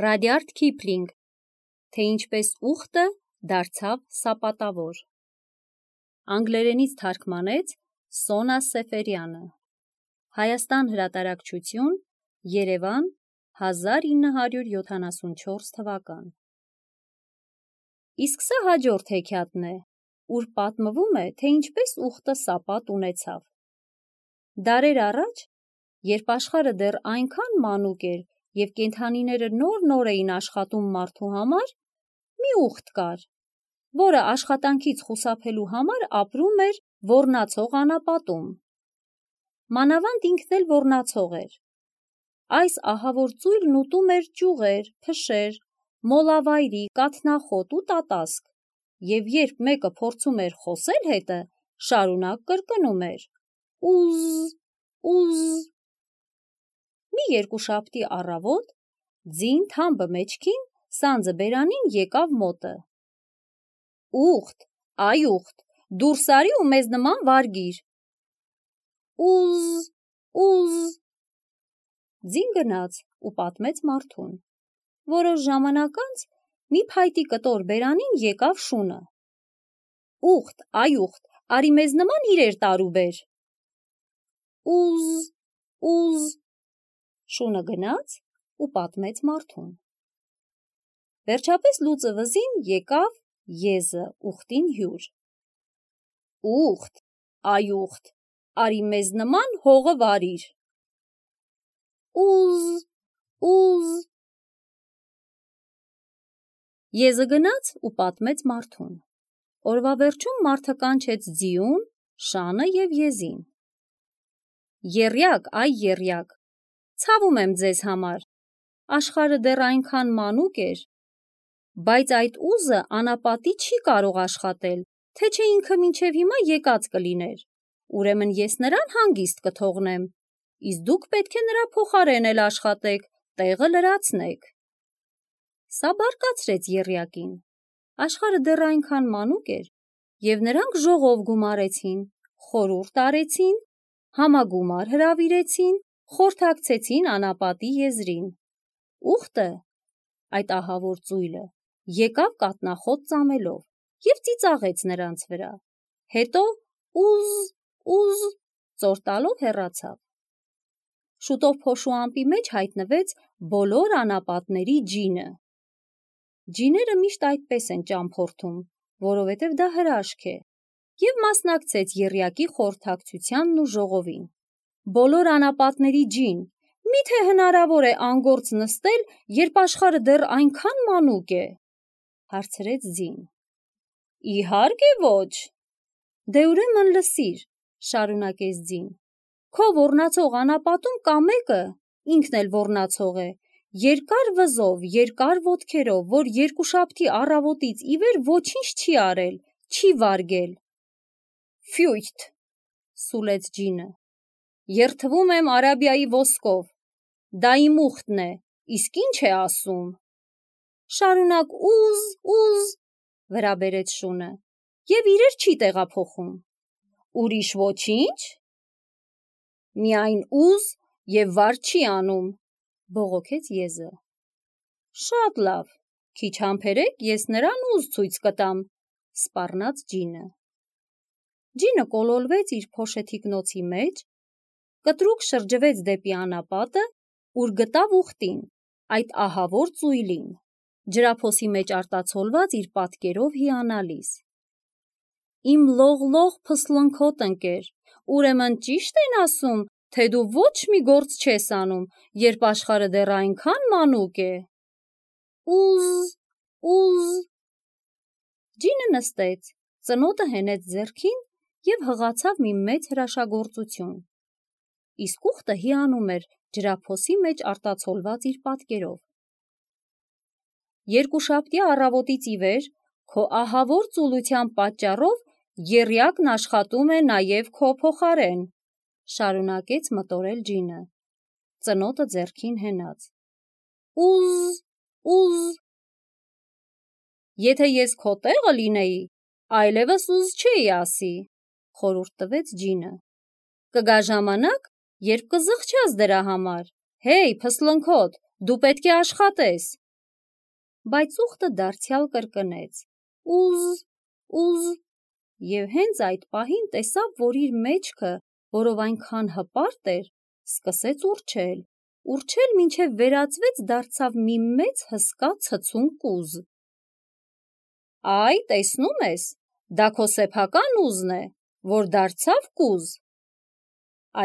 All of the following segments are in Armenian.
Ռադյարդ Քիփլինգ, թե ինչպես ուխտը դարձավ սապատավոր։ Անգլերենից թարգմանեց Սոնա Սեֆերյանը։ Հայաստան հրատարակչություն, Երևան, 1974 թվական։ Իսկ սա հաջորդ հեքիաթն է, ուր պատմվում է, թե ինչպես ուխտը սապատ ունեցավ։ Դարեր առաջ, երբ աշխարհը դեռ այնքան մանուկ էր և կենդանիները նոր էին աշխատում մարդու համար, մի ուխտ կար, որը աշխատանքից խուսափելու համար ապրում էր ոռնացող անապատում։ Մանավանդ ինքն էլ ոռնացող էր։ Այս ահավոր ծույլն ուտում էր ճյուղեր, փշեր, մոլավայրի, կաթնախոտ ու տատասկ, և երբ մեկը փորձում էր խոսել հետը, շարունակ կրկնում էր. ուզ, ուզ։ Մի երկուշաբթի առավոտ, ձին թամբը մեջքին, սանձը բերանին եկավ մոտը. Ուխտ, այ ուխտ, դուրս արի ու մեզ նման վարգիր։ Ուզ, ուզ։ Ձին գնաց ու պատմեց մարդուն։ Որոշ ժամանակ անց մի փայտի կտոր բերանին եկավ շունը. Ուխտ, այ ուխտ, արի մեզ նման իրեր տար ու բեր։ Ուզ, ուզ։ Շունը գնաց ու պատմեց մարդուն։ Վերջապես լուծը վզին եկավ եզը ուխտին հյուր։ Ուխտ, այ ուխտ, արի մեզ նման հողը վարիր։ Ուզ, ուզ։ Եզը գնաց ու պատմեց մարդուն։ Օրվա վերջում մարդը կանչեց ձիուն, շանը և եզին։ Եռյակ, այ եռյակ, ցավում եմ ձեզ համար, աշխարհը դեռ այնքան մանուկ էր, բայց այդ ուզը անապատի չի կարող աշխատել, թե չէ ինքը մինչև հիմա եկած կլիներ, ուրեմն ես նրան հանգիստ կթողնեմ, իսկ դուք պետք է նրա փոխարեն էլ աշխատեք, տեղը լրացնեք։ Սա բարկացրեց եռյակին, աշխարհը դեռ այնքան մանուկ էր, և նրանք ժողով գումարեցին, խորհուրդ արեցին, համագումար հրավիրեցին, խորհրդակցեցին անապատի եզրին։ Ուխտը, այդ ահավոր ծույլը, եկավ կաթնախոտ ծամելով և ծիծաղեց նրանց վրա, հետո ուզ, ուզ ծոր տալով հեռացավ։ Շուտով փոշու ամպի մեջ հայտնվեց բոլոր անապատների ջինը։ Ջիները միշտ այդպես են ճամփորդում, որովհետև դա հրաշք է, և մասնակցեց եռյակի խորհրդակցությանն ու ժողովին։ Բոլոր անապատների ջին, միթե հնարավոր է անգործ նստել, երբ աշխարհը դեռ այնքան մանուկ է, հարցրեց ձին։ Իհարկե ոչ։ Դե ուրեմն լսիր, շարունակեց ձին, քո ոռնացող անապատում կա մեկը, ինքն էլ ոռնացող է, երկար վզով, երկար ոտքերով, որ երկուշաբթի առավոտից ի վեր ոչինչ չի արել, չի վարգել։ Ֆյույթ, սուլեց ջինը, երդվում եմ Արաբիայի ոսկով, դա իմ ուխտն է, իսկ ինչ է ասում։ Շարունակ ուզ, ուզ, վրա բերեց շունը, և իրեր չի տեղափոխում։ Ուրիշ ոչինչ։ Միայն ուզ և վար չի անում, բողոքեց եզը։ Շատ լավ, քիչ համբերեք, ես նրան ուզ ցույց կտամ, սպառնաց ջինը։ Ջինը կոլորվեց իր փոշեթիկնոցի մեջ, կտրուկ շրջվեց դեպի անապատը, ուր գտավ ուխտին, այդ ահավոր ծույլին, ջրափոսի մեջ արտացոլված իր պատկերով հիանալիս։ Իմ լող-լող փսլնքոտ ընկեր, ուրեմն ճիշտ են ասում, թե դու ոչ մի գործ չես անում, երբ աշխարհը դեռ այնքան մանուկ է։ Ուզ, ուզ։ Ջինը նստեց, ծնոտը հենեց ձեռքին և հղացավ մի մեծ հրաշագործություն։ Իսկ ուխտը հիանում էր ջրափոսի մեջ արտացոլված իր պատկերով։ Երկուշաբթի առավոտից ի վեր քո ահավոր ծուլության պատճառով եռյակն աշխատում է նաև քո փոխարեն, շարունակեց մտորել ջինը, ծնոտը ձեռքին հենած։ Ուզ, ուզ։ Եթե ես քո տեղը լինեի, այլևս ուզ չէի ասի, խորհուրդ տվեց ջինը։ Կգա ժամանակ, երբ կզղջաս դրա համար, հեյ, փսլնքոտ, դու պետք է աշխատես, բայց ուխտը դարձյալ կրկնեց. ուզ, ուզ, և հենց այդ պահին տեսավ, որ իր մեջքը, որով այնքան հպարտ էր, սկսեց ուռչել, մինչև վերածվեց դարձավ մի մեծ հսկա ցցուն կուզ։ Այ, տեսնում ես, դա քո սեփական ուզն է, որ դարձավ կուզ։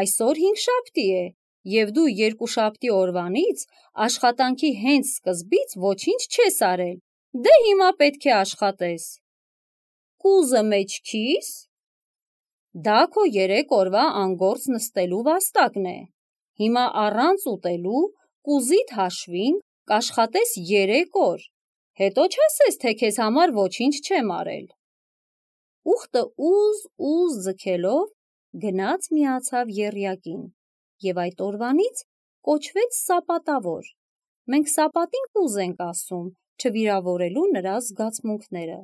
Այսօր հինգշաբթի է, և դու երկուշաբթի օրվանից աշխատանքի հենց սկզբից ոչինչ չես արել, դե հիմա պետք է աշխատես։ Կուզը մեջքիս։ Դա քո 3 օրվա անգործ նստելու վաստակն է։ Հիմա առանց ուտելու կուզիդ հաշվին կաշխատես 3 օր, հետո չասես, թե քեզ համար ոչինչ չեմ արել։ Ուխտը ուզ ձգելով գնաց միացավ եռյակին և այդ օրվանից կոչվեց սապատավոր։ Մենք սապատին կուզ ենք ասում, չվիրավորելու նրա զգացմունքները։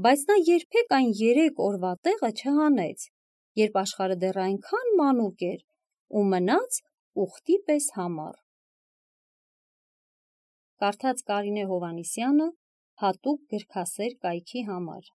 Բայց նա երբեք այն 3 օրվա տեղը չհանեց, երբ աշխարհը դեռ այնքան մանուկ էր ու մնաց ուխտի պես համառ։ Կարդաց Կարինե Հովհաննիսյանը հատուկ գրքասեր կայքի համար։